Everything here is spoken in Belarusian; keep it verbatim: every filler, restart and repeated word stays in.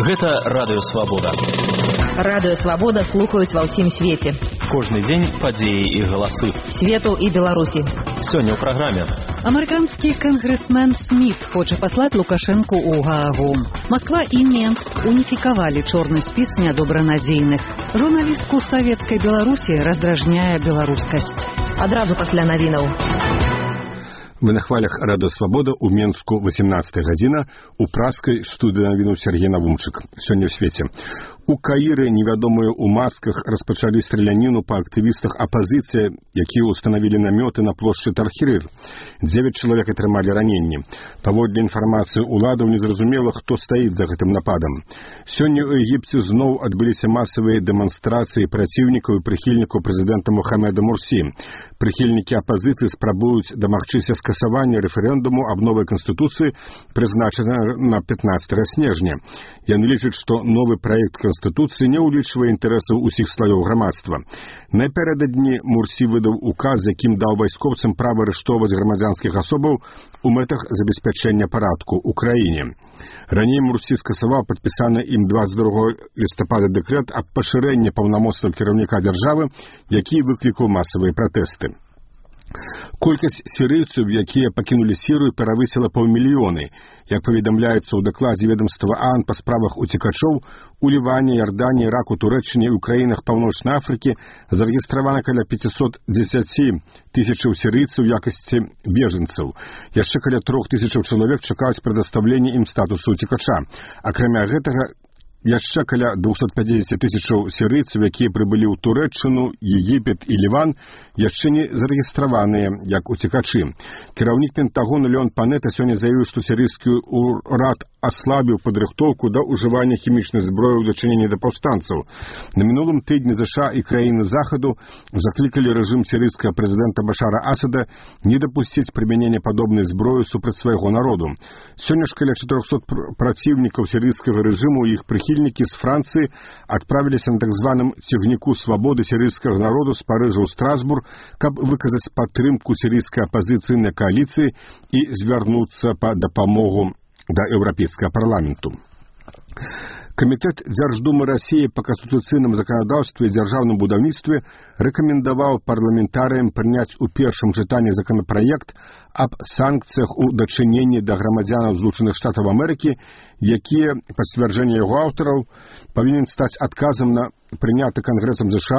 Гэта Радыё Свабода. Радыё Свабода слухаюць ва ўсім свеце. Кожны дзень падзеі і галасы. Свету і Беларусі. Сёння ў праграме. Амерыканскі кангрэсмен Сміт хоча паслаць Лукашэнку ў Гаагу. Москва і Менск уніфікавалі чорны спіс нядобранадзейных. Журналістку савецкай Беларусі раздражняе беларускасць. Адразу пасля навінаў. Мы на хвалях Радыё Свабода ў Менску восемнадцатая гадзіна, у праскай студыі навінуў Сергей Навумчык. Сёння ў свеце. У Каіры невядомыя ў масках распачалі страляніну па актывістах апазіцыі, якія ўстанавілі намёты на плошчы Тархірыр. Дзевяць чалавек атрымалі раненні. Паводле інфармацыі ўладаў незразумела, хто стаіць за гэтым нападам. Сёння ў Егіпце зноў адбыліся масавыя дэманстрацыі праціўнікаў і прыхільнікаў прэзідэнта Мухаммеда Мурсі. Прыхільнікі апазіцыі спрабуюць дамагчыся скасавання рэферэндуму аб новай канстытуцыі, прызначанага на пятнадцатага снежня. Яны лічаць, што новы праект канстытуцыі не ўлічвае інтарэсаў усіх слаёў грамадства. Напярэдадні Мурсі выдаў указ, якім даў вайскоўцам права арыштоўваць грамадзянскіх асобаў у мэтах забеспячэння парадку ў краіне. Раней Мурсі скасаваў падпісаны ім дваццаць другога лістапада дэкрэт аб пашырэнні паўнамоцтваў кіраўніка дзяржавы, які выклікаў масавыя пратэсты. Колькасць сірыйцаў, якія пакінулі Сірыю, перавысіла паўмільёны. Як паведамляецца ў дакладзе ведомства ААН па справах уцекачоў, у Ліване, Ярдані, Іраку, Турэччыне і ў краінах Паўночнай Афрыкі зарэгістравана каля пятьсот десять тысячаў сірыйцаў у якасці бежанцаў. Яшчэ каля трох тысячаў чалавек чакаюць прадастаўлення ім статусу уцекача. Акрамя гэтага, яшчэ каля двухсот пятидесяти тысячаў сірыйцаў, якія прыбылі ў Турэччыну, Егіпет і Ліван, яшчэ не зарэгістраваныя як уцекачы. Кіраўнік Пентагону Леон Панета сёння заявіў, што сірыйскі ўрад аслабіў падрыхтоўку да ўжывання хімічнай зброі ў дачыненні да паўстанцаў. На мінулым тыдні ЗША і краіны Захаду заклікалі рэжым сірыйскага прэзідэнта Башара Асада не дапусціць прымянення падобнай зброі супраць свайго народу. Сёння ж каля чатырохсот праціўнікаў сірыйскага рэжыму і іх прыхільнікі з Францыі адправіліся на так званым цягніку свабоды сірыйскага народу з Парыжа ў Страсбург, каб выказаць падтрымку сірыйскай апазіцыйнай кааліцыі і звярнуцца па дапамогу да Еўрапейскага парламенту. Камітэт Дзярждумы Расіі па канстытуцыйным заканадаўстве і дзяржаўным будаўніцтве рэкамендаваў парламентарыям прыняць у першым чытанні законапраект аб санкцыях у дачыненні да грамадзянаў Злучаных Штатаў Амерыкі, якія, па сцвярджэнні яго аўтараў, павінен стаць адказам на прыняты Кангрэсам ЗША